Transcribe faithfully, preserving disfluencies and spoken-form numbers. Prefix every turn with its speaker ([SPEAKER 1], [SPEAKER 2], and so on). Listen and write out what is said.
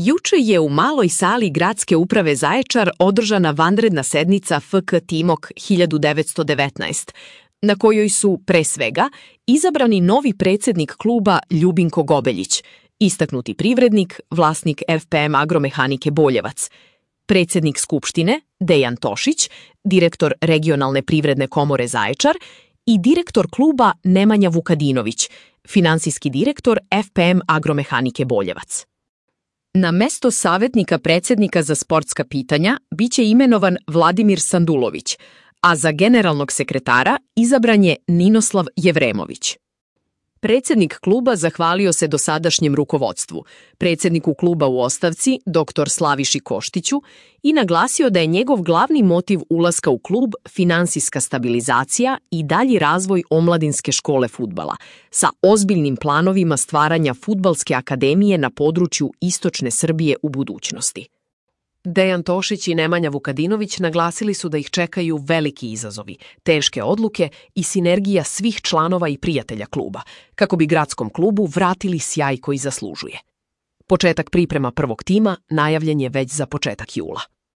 [SPEAKER 1] Juče je u maloj sali Gradske uprave Zaječar održana vanredna sednica F K Timok hiljadu devetsto devetnaest, na kojoj su, pre svega, izabrani novi predsjednik kluba Ljubinko Gobeljić, istaknuti privrednik, vlasnik F P M Agromehanike Boljevac, predsjednik Skupštine Dejan Tošić, direktor Regionalne privredne komore Zaječar i direktor kluba Nemanja Vukadinović, finansijski direktor F P M Agromehanike Boljevac. Na mesto savjetnika predsjednika za sportska pitanja biće imenovan Vladimir Sandulović, a za generalnog sekretara izabran je Ninoslav Jevremović. Predsjednik kluba zahvalio se dosadašnjem rukovodstvu, predsjedniku kluba u ostavci, doktor Slaviši Koštiću, i naglasio da je njegov glavni motiv ulaska u klub finansijska stabilizacija i dalji razvoj omladinske škole fudbala, sa ozbiljnim planovima stvaranja fudbalske akademije na području istočne Srbije u budućnosti. Dejan Tošić i Nemanja Vukadinović naglasili su da ih čekaju veliki izazovi, teške odluke i sinergija svih članova i prijatelja kluba, kako bi gradskom klubu vratili sjaj koji zaslužuje. Početak priprema prvog tima najavljen je već za početak jula.